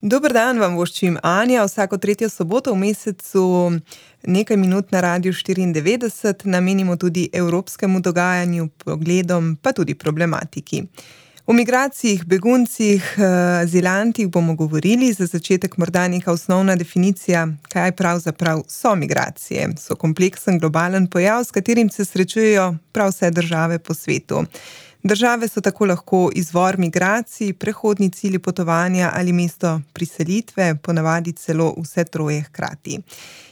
Dober dan vam voščim Anja, vsako tretjo soboto v mesecu nekaj minut na Radiu 94 namenimo tudi evropskemu dogajanju, pogledom, pa tudi problematiki. O migracijah, beguncih, azilantih bomo govorili, za začetek morda neka osnovna definicija, kaj pravzaprav so migracije. So kompleksen globalen pojav, s katerim se srečujejo prav vse države po svetu. Države so tako lahko izvor migracij, prehodni cilji potovanja ali mesto priselitve, ponavadi celo vse troje hkrati.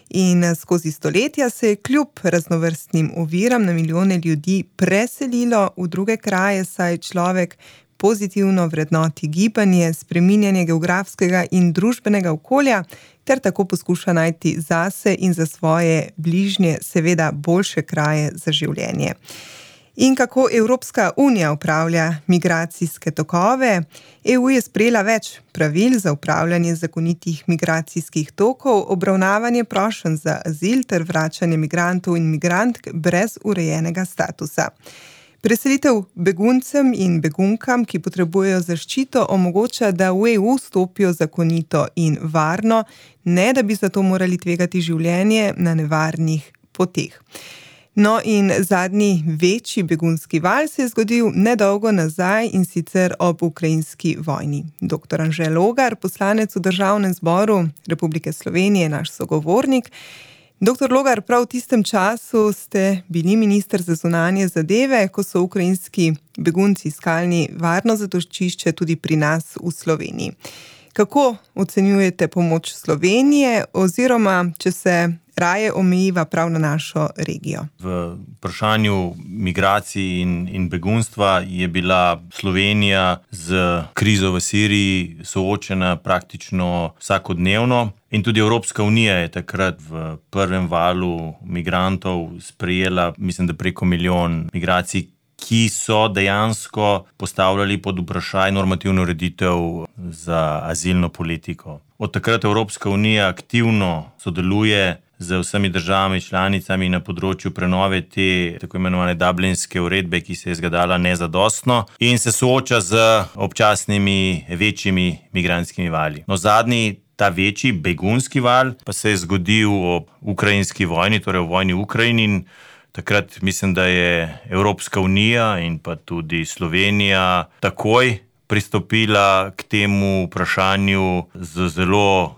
In skozi stoletja se je kljub raznovrstnim oviram na milijone ljudi preselilo v druge kraje, saj človek pozitivno vrednoti gibanje, spreminjanje geografskega in družbenega okolja, ter tako poskuša najti zase in za svoje bližnje seveda boljše kraje za življenje. In kako Evropska unija upravlja migracijske tokove? EU je sprejela več pravil za upravljanje zakonitih migracijskih tokov, obravnavanje prošenj za azil ter vračanje migrantov in migrantk brez urejenega statusa. Preselitev beguncem in begunkam, ki potrebujejo zaščito, omogoča, da v EU stopijo zakonito in varno, ne da bi zato morali tvegati življenje na nevarnih poteh. No in zadnji večji begunski val se je zgodil nedolgo nazaj in sicer ob ukrajinski vojni. Dr. Anže Logar, poslanec v Državnem zboru Republike Slovenije, naš sogovornik. Dr. Logar, prav v tistem času ste bili minister za zunanje zadeve, ko so ukrajinski begunci iskali varno zatočišče tudi pri nas v Sloveniji. Kako ocenjujete pomoč Slovenije oziroma, če se raje omejiva prav na našo regijo? V vprašanju migracij in begunstva je bila Slovenija z krizo v Siriji soočena praktično vsakodnevno. In tudi Evropska unija je takrat v prvem valu migrantov sprejela, mislim, da preko 1 milijon migracij, ki so dejansko postavljali pod vprašaj normativno ureditev za azilno politiko. Od takrat Evropska unija aktivno sodeluje z vsemi državami članicami na področju prenove te tako imenovane Dublinske uredbe, ki se je izkazala nezadostno in se sooča z občasnimi večjimi migrantskimi vali. No, zadnji, ta večji begunski val pa se je zgodil ob ukrajinski vojni, torej v vojni v Ukrajini, in takrat mislim, da je Evropska unija in pa tudi Slovenija takoj pristopila k temu vprašanju z zelo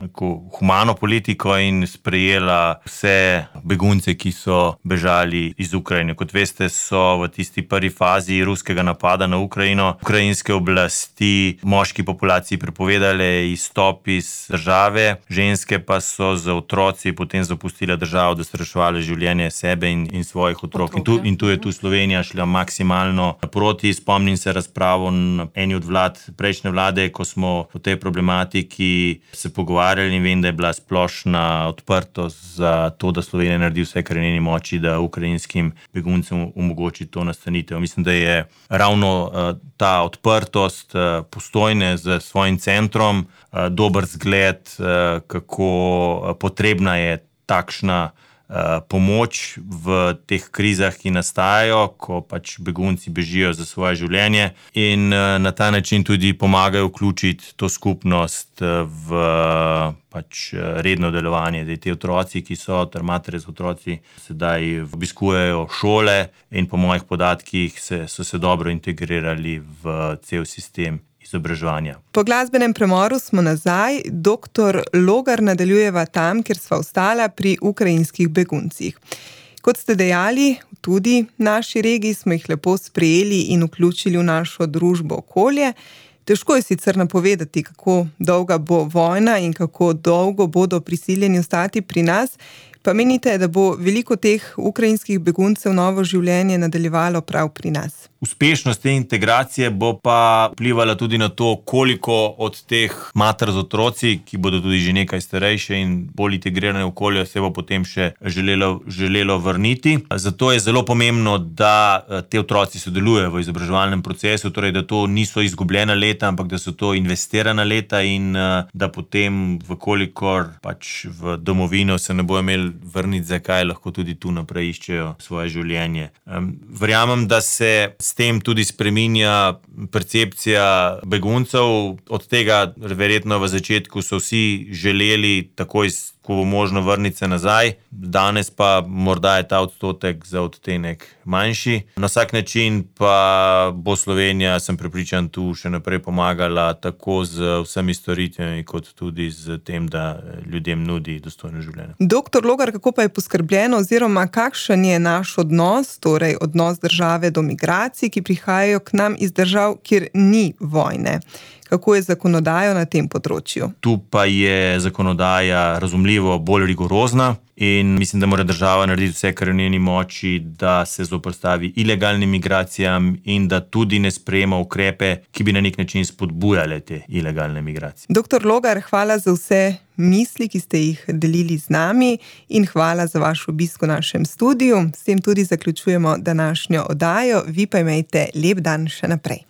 humano politiko in sprejela vse begunce, ki so bežali iz Ukrajine. Kot veste, so v tisti prvi fazi ruskega napada na Ukrajino ukrajinske oblasti moški populaciji prepovedale izstop iz države, ženske pa so z otroci potem zapustile državo, da so reševali življenje sebe in svojih otrok. In tu je Slovenija šla maksimalno proti. Spomnim se razpravo na eni od prejšnje vlade, ko smo o tej problematiki se pogovarjali, in vem, da je bila splošna odprtost za to, da Slovenija naredi vse, kar je v njeni moči, da ukrajinskim beguncem omogoči to nastanitev. Mislim, da je ravno ta odprtost Postojne z svojim centrom dober zgled, kako potrebna je takšna pomoč v teh krizah, ki nastajajo, ko pač begunci bežijo za svoje življenje, in na ta način tudi pomagajo vključiti to skupnost v pač redno delovanje. Te otroci, ki so, ter matere z otroci, sedaj obiskujejo šole in po mojih podatkih so se dobro integrirali v cel sistem izobraževanja. Po glasbenem premoru smo nazaj. Dr. Logar, nadaljujeva tam, kjer sva ostala, pri ukrajinskih beguncih. Kot ste dejali, tudi v naši regiji smo jih lepo sprejeli in vključili v našo družbo, okolje. Težko je sicer napovedati, kako dolga bo vojna in kako dolgo bodo prisiljeni ostati pri nas. Pa menite, da bo veliko teh ukrajinskih beguncev novo življenje nadaljevalo prav pri nas? Uspešnost te integracije bo pa vplivala tudi na to, koliko od teh mater z otroci, ki bodo tudi že nekaj starejše in bolj integrirane v okolje, se bo potem še želelo vrniti. Zato je zelo pomembno, da te otroci sodelujejo v izobraževalnem procesu, torej da to niso izgubljena leta, ampak da so to investirana leta in da potem, vkolikor pač v domovino se ne bojo imeli vrniti, zakaj lahko tudi tu naprej iščejo svoje življenje. Verjamem, da se s tem tudi spreminja percepcija beguncev. Od tega verjetno v začetku so vsi želeli takoj, ko bo možno, vrniti se nazaj. Danes pa morda je ta odstotek za odtenek manjši. Na vsak način pa bo Slovenija, sem prepričan, tu še naprej pomagala tako z vsemi storitvami, kot tudi z tem, da ljudem nudi dostojno življenje. Doktor Logar, kako pa je poskrbljeno oziroma kakšen je naš odnos, torej odnos države do migracij, ki prihajajo k nam iz držav, kjer ni vojne? Kako je zakonodaja na tem področju? Tu pa je zakonodaja razumljivo bolj rigorozna in mislim, da mora država narediti vse, kar je v njeni moči, da se zoperstavi ilegalnim migracijam in da tudi ne sprejema ukrepe, ki bi na nek način spodbujale te ilegalne migracije. Doktor Logar, hvala za vse misli, ki ste jih delili z nami, in hvala za vaš obisk v našem studiu. S tem tudi zaključujemo današnjo oddajo. Vi pa imejte lep dan še naprej.